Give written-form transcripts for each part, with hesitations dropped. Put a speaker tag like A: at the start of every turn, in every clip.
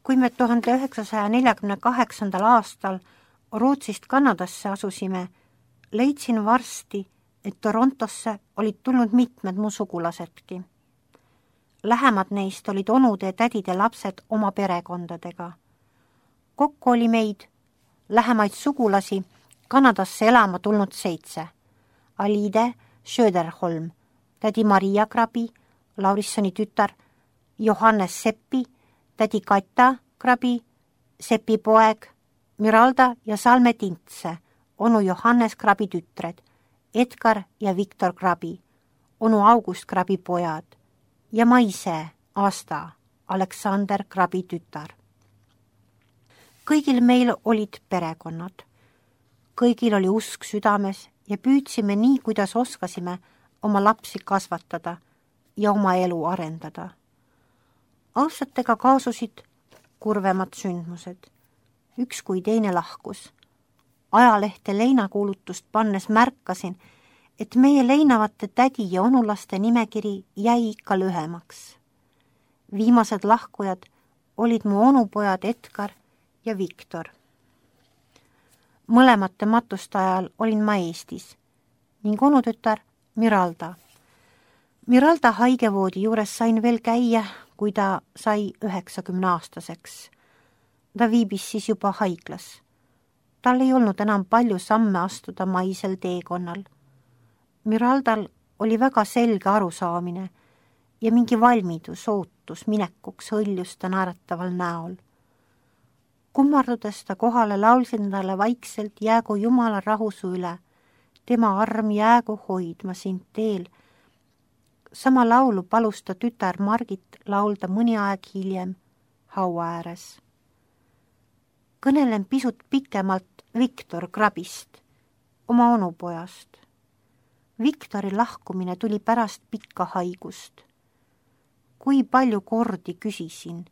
A: Kui me 1948. aastal Rootsist Kanadasse asusime, leidsin varsti, et Torontosse olid tulnud mitmed mu sugulasedki. Lähemad neist olid onude ja tädide lapsed oma perekondadega. Kokku oli meid, lähemaid sugulasi, Kanadasse elama tulnud 7. Alide Söderholm, tädi Maria Krabi, Laurissoni tütar, Johannes Seppi, tädi Katja Krabi, Seppi poeg, Miralda ja Salme Tintse, onu Johannes Krabi tütred, Edgar ja Viktor Krabi, onu August Krabi pojad ja ma ise, Asta, Aleksander Krabi tütar. Kõigil meil olid perekonnad. Kõigil oli usk südames ja püüdsime nii, kuidas oskasime oma lapsi kasvatada ja oma elu arendada. Aastatega kaasusid kurvemad sündmused. Üks kui teine lahkus. Ajalehte leinakuulutust pannes märkasin, et meie leinavate tädi ja onulaste nimekiri jäi ikka lühemaks. Viimased lahkujad olid mu onupojad Edgar ja Viktor. Mõlemate matuste ajal olin ma Eestis ning onutütar Miralda. Miralda haigevoodi juures sain veel käia, kui ta sai 90-aastaseks. Ta viibis siis juba haiglas. Tal ei olnud enam palju samme astuda maisel teekonnal. Miraldal oli väga selge arusaamine ja mingi valmidus, ootus minekuks hõljus ta naerataval näol. Kummardudes ta kohale laulsin talle vaikselt jäägu Jumala rahusu üle, tema arm jäägu hoidma sind teel. Sama laulu palus ta tütar Margit laulda mõni aeg hiljem haua ääres. Kõnelen pisut pikemalt Viktor Krabist, oma onupojast. Viktori lahkumine tuli pärast pikka haigust. Kui palju kordi küsisin,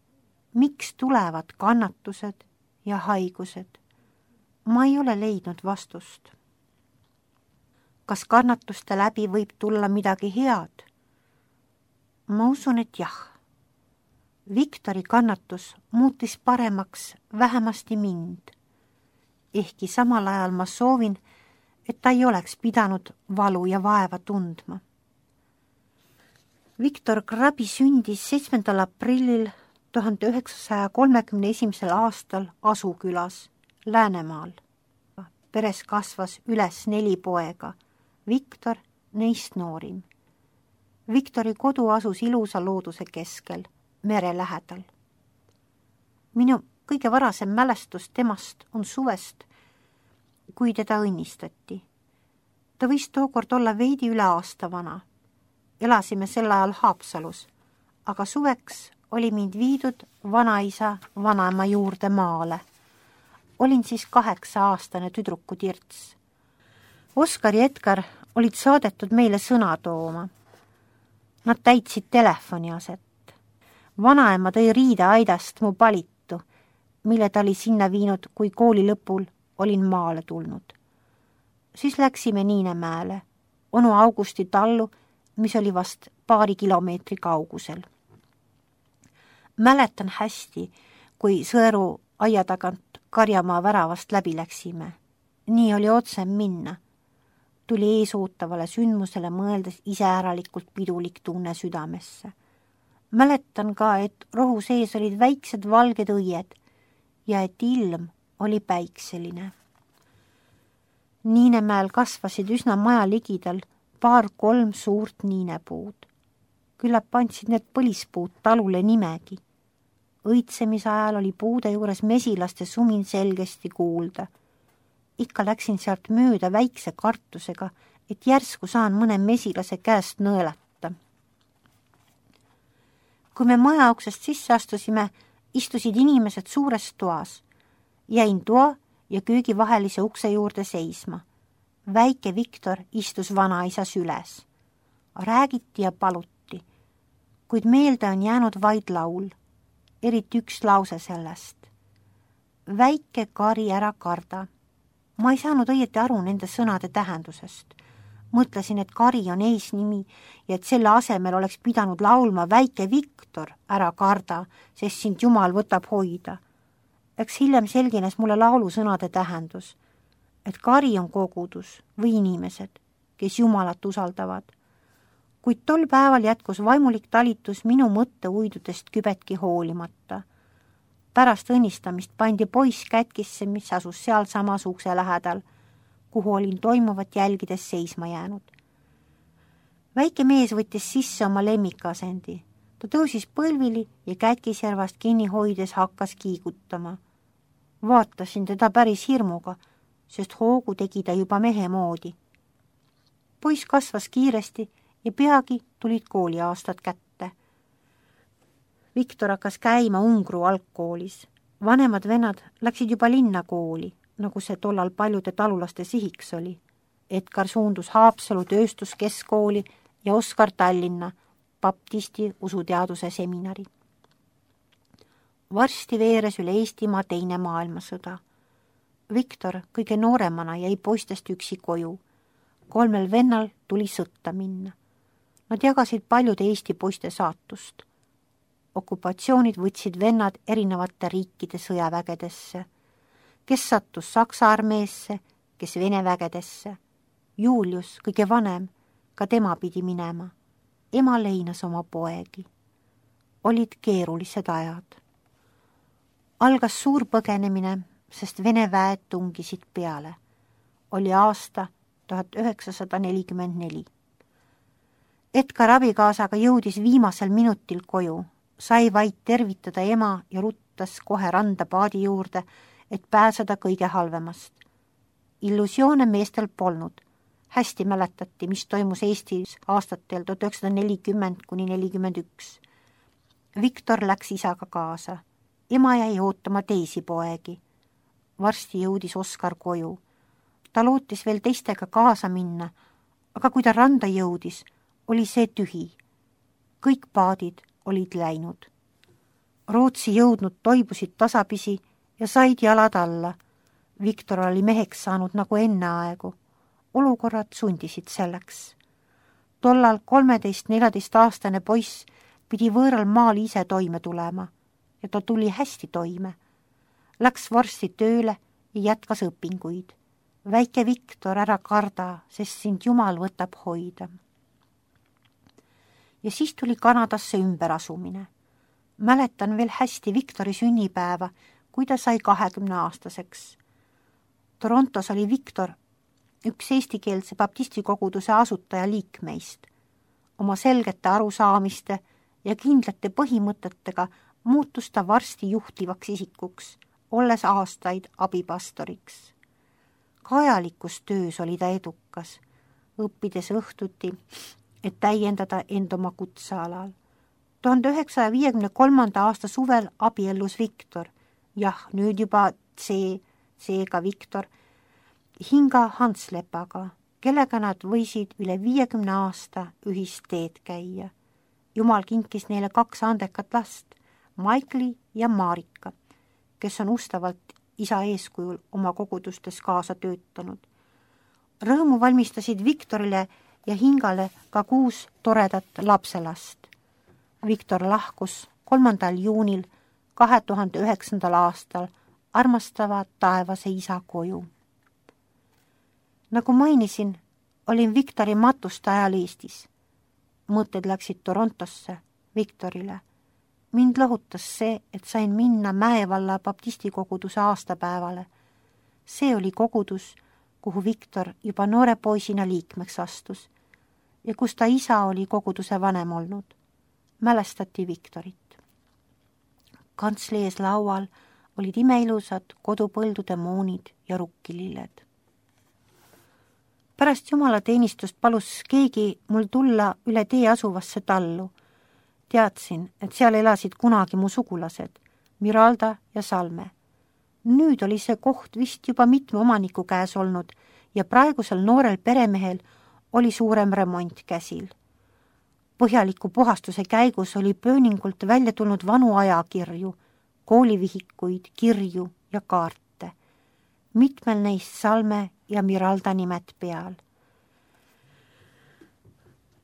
A: miks tulevad kannatused ja haigused? Ma ei ole leidnud vastust. Kas kannatuste läbi võib tulla midagi head? Ma usun, et jah. Viktori kannatus muutis paremaks vähemasti mind. Ehkki samal ajal ma soovin, et ta ei oleks pidanud valu ja vaeva tundma. Viktor Krabi sündis 7. aprillil 1931. aastal Asukülas, Läänemaal. Peres kasvas üles 4 poega, Viktor neist noorim. Viktori kodu asus ilusa looduse keskel, mere lähedal. Minu kõige varasem mälestus temast on suvest, kui teda õnnistati. Ta võis tookord olla veidi üle aasta vana. Elasime sel ajal Haapsalus, aga suveks oli mind viidud vanaisa vanaema juurde maale. Olin siis 8-aastane tüdrukutirts. Oskar ja Edgar olid saadetud meile sõna tooma. Nad täitsid telefoni aset. Vanaema tõi riideaidast mu palitu, mille ta oli sinna viinud, kui kooli lõpul olin maale tulnud. Siis läksime Niinemäele, onu Augusti tallu, mis oli vast paari kilomeetri kaugusel. Mäletan hästi, kui Sõeru aia tagant Karjamaa väravast läbi läksime. Nii oli otsem minna. Tuli eesootavale sündmusele mõeldes iseäralikult pidulik tunne südamesse. Mäletan ka, et rohu sees olid väiksed valged õied ja et ilm oli päikseline. Niinemäel kasvasid üsna maja ligidal 2-3 suurt niinepuud. Küllap andsid need põlispuud talule nimegi. Õitsemise ajal oli puude juures mesilaste sumin selgesti kuulda. Ikka läksin sealt mööda väikse kartusega, et järsku saan mõne mesilase käest nõelata. Kui me maja uksest sisse astusime, istusid inimesed suures toas. Jäin toa ja köögi vahelise ukse juurde seisma. Väike Viktor istus vanaisa süles. Räägiti ja paluti, kuid meelde on jäänud vaid laul, eriti üks lause sellest. Väike kari ära karda. Ma ei saanud õieti aru nende sõnade tähendusest. Mõtlesin, et Kari on eesnimi ja et selle asemel oleks pidanud laulma Väike Viktor, ära karda, sest sind Jumal võtab hoida. Eks hiljem selgines mulle laulusõnade tähendus, et Kari on kogudus või inimesed, kes Jumalat usaldavad. Kuid tol päeval jätkus vaimulik talitus minu mõtte uidudest kübetki hoolimata. Pärast õnnistamist pandi poiss kätkisse, mis asus seal samas ukse lähedal, kuhu olin toimuvat jälgides seisma jäänud. Väike mees võttis sisse oma lemmikasendi. Ta tõusis põlvili ja kätkisjärvast kinni hoides hakkas kiigutama. Vaatasin teda päris hirmuga, sest hoogu tegi ta juba mehe moodi. Poiss kasvas kiiresti ja peagi tulid kooliaastad kätte. Viktor hakkas käima Ungru algkoolis. Vanemad vennad läksid juba linna kooli, nagu see tollal paljude talulaste sihiks oli. Edgar suundus Haapsalu tööstuskeskkooli ja Oskar Tallinna baptisti usuteaduse seminari. Varsti veeres üle Eestimaa teine maailmasõda. Viktor kõige nooremana jäi poistest üksi koju. 3 vennal tuli sõtta minna. Nad jagasid paljude Eesti poiste saatust. Okupatsioonid võtsid vennad erinevate riikide sõjavägedesse. Kes sattus Saksa armeesse, kes Vene vägedesse. Julius, kõige vanem, ka tema pidi minema. Ema leinas oma poegi. Olid keerulised ajad. Algas suur põgenemine, sest Vene väed tungisid peale. Oli aasta 1944. Edgar abikaasaga jõudis viimasel minutil koju, sai vaid tervitada ema ja ruttas kohe randa paadi juurde, et pääseda kõige halvemast. Illusioone meestel polnud. Hästi mäletati, mis toimus Eestis aastatel 1940–41. Viktor läks isaga kaasa. Ema jäi ootama teisi poegi. Varsti jõudis Oskar koju. Ta lootis veel teistega kaasa minna, aga kui ta randa jõudis, oli see tühi. Kõik paadid olid läinud. Rootsi jõudnud toibusid tasapisi ja said jalad alla. Viktor oli meheks saanud nagu enne aegu. Olukorrad sundisid selleks. Tollal 13–14-aastane poiss pidi võõral maal ise toime tulema ja ta tuli hästi toime. Läks varsti tööle ja jätkas õpinguid. Väike Viktor, ära karda, sest sind Jumal võtab hoida. Ja siis tuli Kanadasse ümberasumine. Mäletan veel hästi Viktori sünnipäeva, kui ta sai 20-aastaseks. Torontos oli Viktor üks eestikeelse baptistikoguduse asutaja liikmeist. Oma selgete arusaamiste ja kindlate põhimõtetega muutus ta varsti juhtivaks isikuks, olles aastaid abipastoriks. Kajalikus töös oli ta edukas, õppides õhtuti, et täiendada end oma kutsealal. 1953. aasta suvel abiellus Viktor, nüüd juba seega Viktor, Hinga Hanslepaga, kellega nad võisid üle 50 aasta ühist teed käia. Jumal kinkis neile 2 andekat last, Maikli ja Marika, kes on ustavalt isa eeskujul oma kogudustes kaasa töötanud. Rõõmu valmistasid Viktorile ja Hingale ka 6 toredat lapselast. Viktor lahkus 3. juunil 2009. aastal armastava taevase isa koju. Nagu mainisin, olin Viktori matuste ajal Eestis. Mõtted läksid Torontosse, Viktorile. Mind lohutas see, et sain minna Mäevalla baptistikoguduse aastapäevale. See oli kogudus, kuhu Viktor juba noore poisina liikmeks astus ja kus ta isa oli koguduse vanem olnud. Mälestati Viktorit. Kantsli ees laual olid imeilusad kodupõldude moonid ja rukkililled. Pärast jumalateenistust palus keegi mul tulla üle tee asuvasse tallu. Teadsin, et seal elasid kunagi mu sugulased, Miralda ja Salme. Nüüd oli see koht vist juba mitme omaniku käes olnud ja praegusel noorel peremehel oli suurem remont käsil. Põhjaliku puhastuse käigus oli pööningult välja tulnud vanu ajakirju, koolivihikuid, kirju ja kaarte. Mitmel neist Salme ja Miralda nimed peal.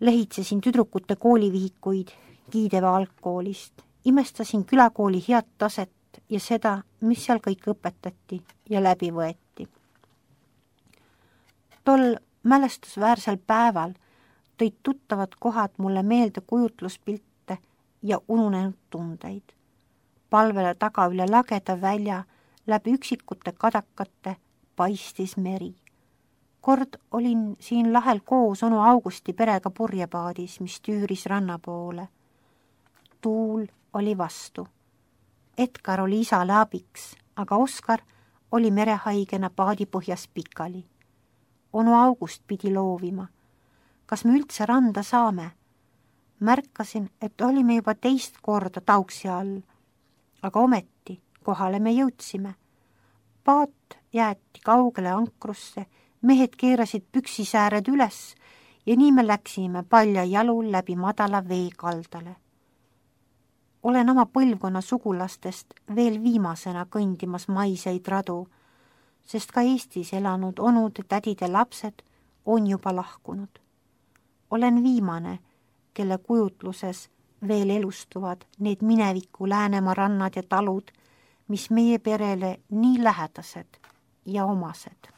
A: Lehitsesin tüdrukute koolivihikuid Kiideva algkoolist, imestasin külakooli head taset ja seda, mis seal kõik õpetati ja läbi võeti. Tol mälestusväärsel päeval tõid tuttavad kohad mulle meelde kujutluspilte ja ununenud tundeid. Palvele taga üle lageda välja läbi üksikute kadakate paistis meri. Kord olin siin lahel koos onu Augusti perega purjepaadis, mis tüüris ranna poole. Tuul oli vastu. Edgar oli isale abiks, aga Oskar oli merehaigena paadi põhjas pikali. Onu August pidi loovima. Kas me üldse randa saame? Märkasin, et olime juba teist korda tauksi all, aga ometi kohale me jõudsime. Paat jäeti kaugele ankrusse, mehed keerasid püksisääred üles ja nii me läksime palja jalul läbi madala veekaldale. Olen oma põlvkonna sugulastest veel viimasena kõndimas maiseid radu, sest ka Eestis elanud onude, tädide lapsed on juba lahkunud. Olen viimane, kelle kujutluses veel elustuvad need mineviku Läänemaa rannad ja talud, mis meie perele nii lähedased ja omased.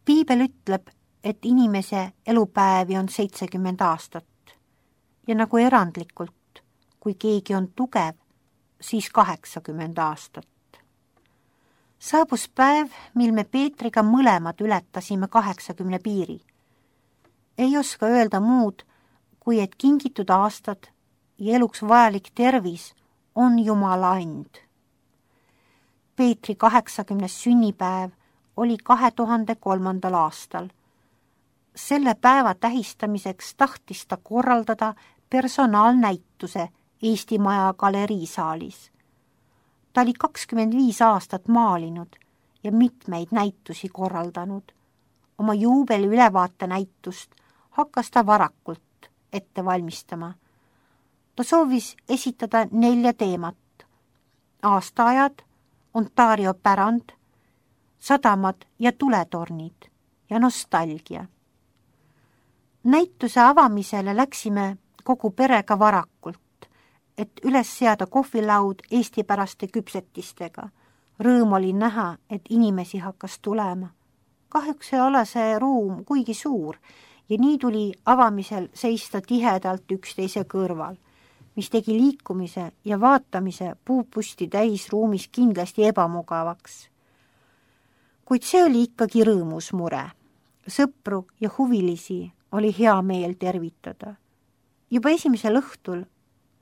A: Piibel ütleb, et inimese elupäevi on 70 aastat ja nagu erandlikult, kui keegi on tugev, siis 80 aastat. Saabus päev, mil me Peetriga mõlemad ületasime 80 piiri. Ei oska öelda muud, kui et kingitud aastad ja eluks vajalik tervis on Jumala and. Peetri 80. sünnipäev oli 2003. aastal. Selle päeva tähistamiseks tahtis ta korraldada personaalnäituse Eesti Maja galeriisaalis. Ta oli 25 aastat maalinud ja mitmeid näitusi korraldanud. Oma juubeli ülevaate näitust hakkas ta varakult ette valmistama. Ta soovis esitada 4 teemat. Aastaajad, Ontario pärand, sadamad ja tuletornid ja nostalgia. Näituse avamisele läksime kogu perega varakult, et üles seada kohvilaud eestipäraste küpsetistega. Rõõm oli näha, et inimesi hakkas tulema. Kahjuks ei ole see ruum kuigi suur ja nii tuli avamisel seista tihedalt üksteise kõrval, mis tegi liikumise ja vaatamise puupusti täis ruumis kindlasti ebamugavaks. Kuid see oli ikkagi rõõmus mure. Sõpru ja huvilisi oli hea meel tervitada. Juba esimesel õhtul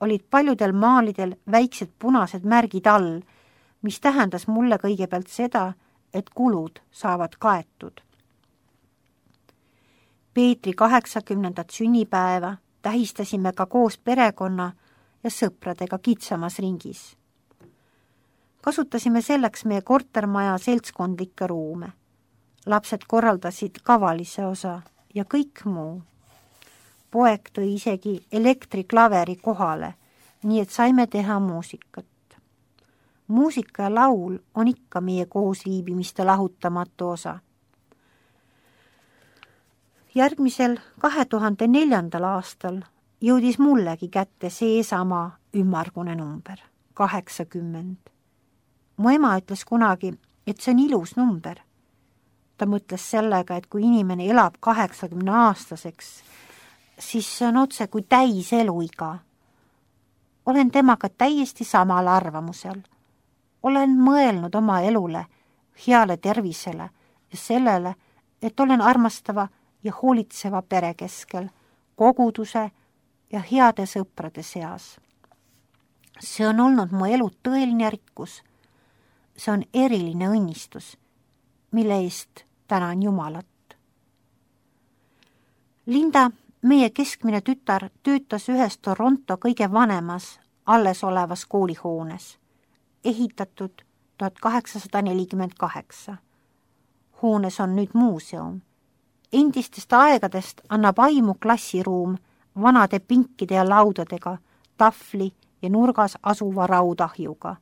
A: olid paljudel maalidel väiksed punased märgid all, mis tähendas mulle kõigepealt seda, et kulud saavad kaetud. Peetri 80. sünnipäeva tähistasime ka koos perekonna ja sõpradega kitsamas ringis. Kasutasime selleks meie kortermaja seltskondlikke ruume. Lapsed korraldasid kavalise osa ja kõik muu. Poeg tõi isegi elektriklaveri kohale, nii et saime teha muusikat. Muusika ja laul on ikka meie koosviibimiste lahutamatu osa. Järgmisel 2004. aastal jõudis mullegi kätte seesama ümmargune number, 80. Mu ema ütles kunagi, et see on ilus number. Ta mõtles sellega, et kui inimene elab 80-aastaseks, siis see on otse kui täis eluiga. Olen temaga täiesti samal arvamusel. Olen mõelnud oma elule, heale tervisele ja sellele, et olen armastava ja hoolitseva pere keskel, koguduse ja heade sõprade seas. See on olnud mu elu tõeline rikkus. See on eriline õnnistus, mille eest tänan Jumalat. Linda, meie keskmine tütar, töötas ühes Toronto kõige vanemas, alles olevas koolihoones, ehitatud 1848. Hoones on nüüd muuseum. Endistest aegadest annab aimu klassiruum vanade pinkide ja laudadega, tahvli ja nurgas asuva raudahjuga.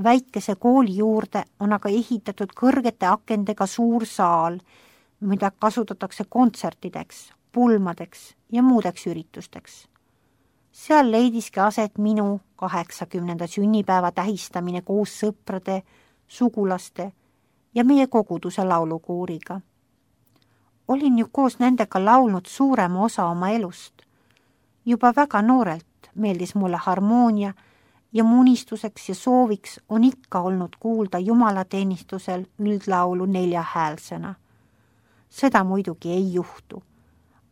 A: Väikese kooli juurde on aga ehitatud kõrgete akendega suur saal, mida kasutatakse kontsertideks, pulmadeks ja muudeks üritusteks. Seal leidiski aset minu 80. sünnipäeva tähistamine koos sõprade, sugulaste ja meie koguduse laulukooriga. Olin ju koos nendega laulnud suurema osa oma elust. Juba väga noorelt meeldis mulle harmoonia ja mu unistuseks ja sooviks on ikka olnud kuulda jumalateenistusel üldlaulu 4-häälsena. Seda muidugi ei juhtu.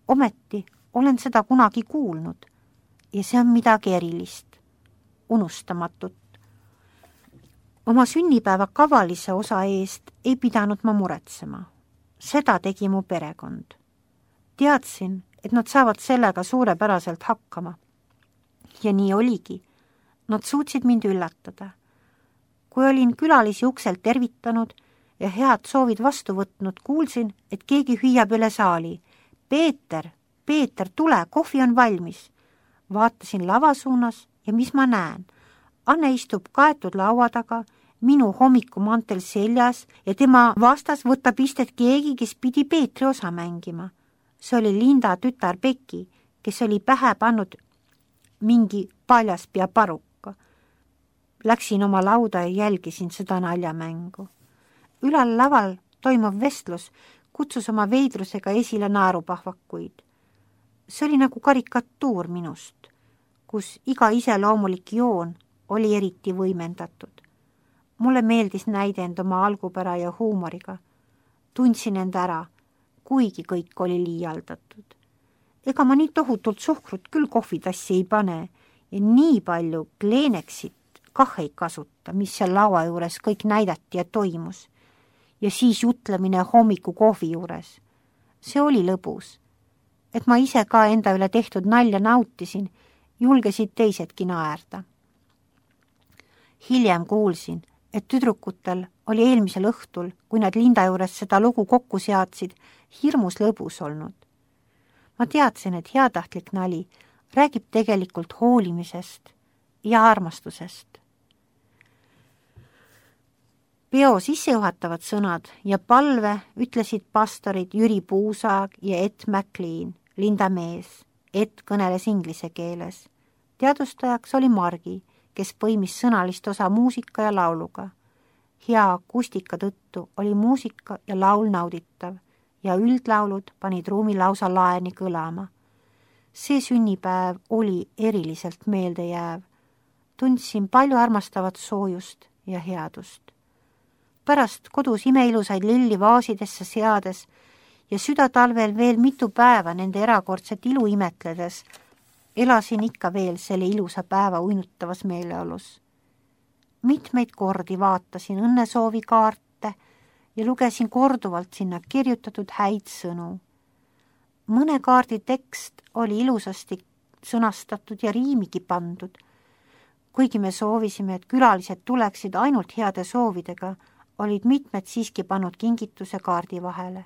A: Ometi olen seda kunagi kuulnud ja see on midagi erilist, unustamatut. Oma sünnipäeva kavalise osa eest ei pidanud ma muretsema. Seda tegi mu perekond. Teadsin, et nad saavad sellega suurepäraselt hakkama. Ja nii oligi. Nad suutsid mind üllatada. Kui olin külalisi ukselt tervitanud ja head soovid vastu võtnud, kuulsin, et keegi hüüab üle saali. Peeter, tule, kohvi on valmis. Vaatasin lava suunas ja mis ma näen? Anne istub kaetud laua taga, minu hommikumantel seljas ja tema vastas võtab istet keegi, kes pidi Peetri osa mängima. See oli Linda tütar Beki, kes oli pähe pannud mingi paljaspea parukka. Läksin oma lauda ja jälgisin seda naljamängu. Ülal laval toimuv vestlus kutsus oma veidrusega esile naerupahvakuid. See oli nagu karikatuur minust, kus iga iseloomulik joon oli eriti võimendatud. Mulle meeldis näidend oma algupära ja huumoriga. Tundsin end ära, kuigi kõik oli liialdatud. Ega ma nii tohutult suhkrut küll kohvitassi ei pane ja nii palju kleeneksit kah ei kasuta, mis seal laua juures kõik näidati ja toimus. Ja siis jutlemine hommiku kohvi juures. See oli lõbus. Et ma ise ka enda üle tehtud nalja nautisin, julgesid teisedki naerda. Hiljem kuulsin, et tüdrukutel oli eelmisel õhtul, kui nad Linda juures seda lugu kokku seadsid, hirmus lõbus olnud. Ma teadsin, et heatahtlik nali räägib tegelikult hoolimisest ja armastusest. Peo sissejuhatavad sõnad ja palve ütlesid pastorid Jüri Puusaag ja Ed McLean, Linda mees. Ed kõneles inglise keeles. Teadustajaks oli Margi, kes põimis sõnalist osa muusika ja lauluga. Hea akustika tõttu oli muusika ja laul nauditav ja üldlaulud panid ruumi lausa laeni kõlama. See sünnipäev oli eriliselt meeldejääv. Tundsin palju armastavat soojust ja headust. Pärast kodus imeilusaid lilli vaasidesse seades ja südatalvel veel mitu päeva nende erakordset ilu imetledes, elasin ikka veel selle ilusa päeva uinutavas meeleolus. Mitmeid kordi vaatasin õnnesoovikaarte ja lugesin korduvalt sinna kirjutatud häid sõnu. Mõne kaardi tekst oli ilusasti sõnastatud ja riimigi pandud. Kuigi me soovisime, et külalised tuleksid ainult heade soovidega, olid mitmed siiski pannud kingituse kaardi vahele.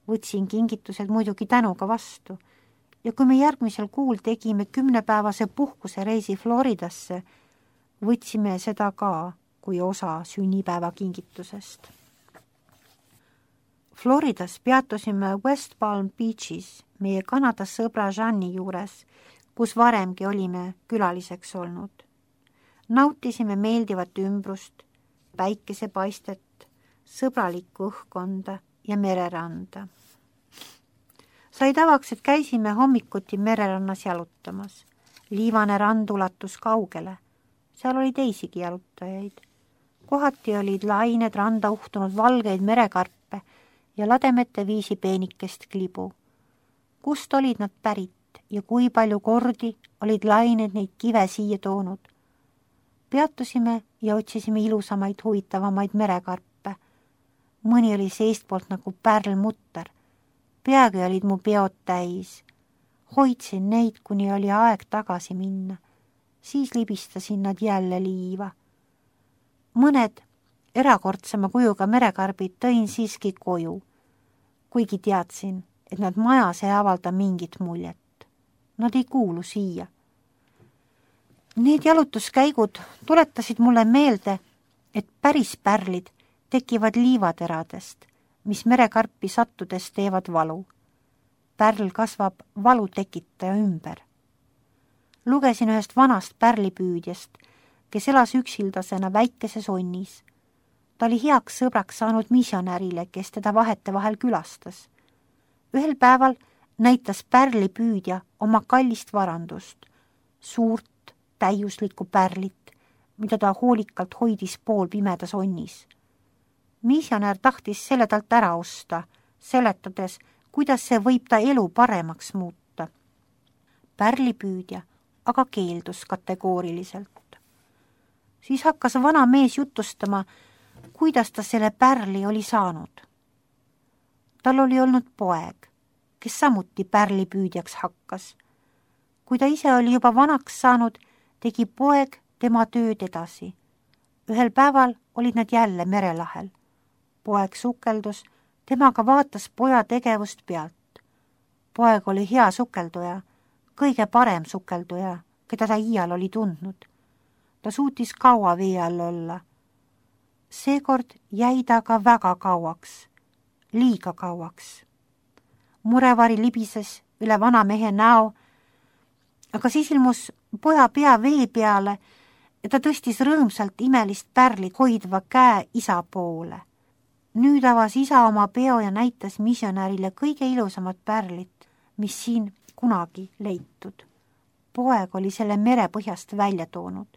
A: Võtsin kingitused muidugi tänuga vastu ja kui me järgmisel kuul tegime 10-päevase puhkuse reisi Floridasse, võtsime seda ka kui osa sünnipäeva kingitusest. Floridas peatusime West Palm Beachis meie Kanada sõbra Jeanni juures, kus varemgi olime külaliseks olnud. Nautisime meeldivat ümbrust, päikesepaistet, sõbralikku õhkkonda ja mereranda. Sai tavaks, et käisime hommikuti mererannas jalutamas. Liivane rand ulatus kaugele. Seal oli teisigi jalutajaid. Kohati olid lained randa uhtunud valgeid merekarpe ja lademete viisi peenikest klibu. Kust olid nad pärit ja kui palju kordi olid lained neid kive siia toonud? Peatusime ja otsisime ilusamaid huvitavamaid merekarpe. Mõni oli seestpoolt nagu pärlmutter. Peagi olid mu peod täis. Hoidsin neid, kuni oli aeg tagasi minna. Siis libistasin nad jälle liiva. Mõned erakordsema kujuga merekarbid tõin siiski koju, kuigi teadsin, et nad majas ei avalda mingit muljet. Nad ei kuulu siia. Need jalutuskäigud tuletasid mulle meelde, et päris pärlid tekivad liivateradest, mis merekarpi sattudes teevad valu. Pärl kasvab valu tekitaja ümber. Lugesin ühest vanast pärlipüüdjast, kes elas üksildasena väikeses onnis. Ta oli heaks sõbraks saanud misjonärile, kes teda vahetevahel külastas. Ühel päeval näitas pärlipüüdja oma kallist varandust, suurt täiuslikku pärlit, mida ta hoolikalt hoidis poolpimedas onnis. Misjonär tahtis selle talt ära osta, seletades, kuidas see võib ta elu paremaks muuta. Pärlipüüdja aga keeldus kategooriliselt. Siis hakkas vana mees jutustama, kuidas ta selle pärli oli saanud. Tal oli olnud poeg, kes samuti pärlipüüdjaks hakkas. Kui ta ise oli juba vanaks saanud, tegi poeg tema tööd edasi. Ühel päeval olid nad jälle merelahel. Poeg sukeldus, temaga vaatas poja tegevust pealt. Poeg oli hea sukelduja, kõige parem sukelduja, keda ta iial oli tundnud. Ta suutis kaua vee all olla. Seekord jäi ta aga väga kauaks, liiga kauaks. Murevari libises üle vana mehe näo, aga siis ilmus poja pea vee peale ja ta tõstis rõõmsalt imelist pärlit hoidva käe isa poole. Nüüd avas isa oma peo ja näitas misjonärile kõige ilusamat pärlit, mis siin kunagi leitud. Poeg oli selle merepõhjast välja toonud.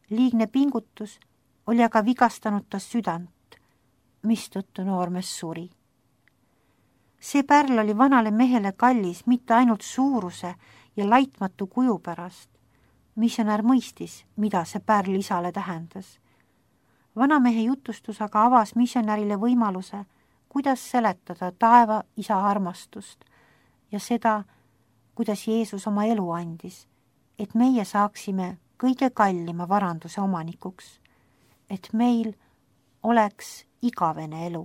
A: Liigne pingutus oli aga vigastanud ta südant, mistõttu noormees suri. See pärl oli vanale mehele kallis mitte ainult suuruse ja laitmatu kuju pärast. Misjonär mõistis, mida see pärl isale tähendas. Vanamehe jutustus aga avas misjonärile võimaluse, kuidas seletada taeva isa armastust ja seda, kuidas Jeesus oma elu andis, et meie saaksime kõige kallima varanduse omanikuks, et meil oleks igavene elu.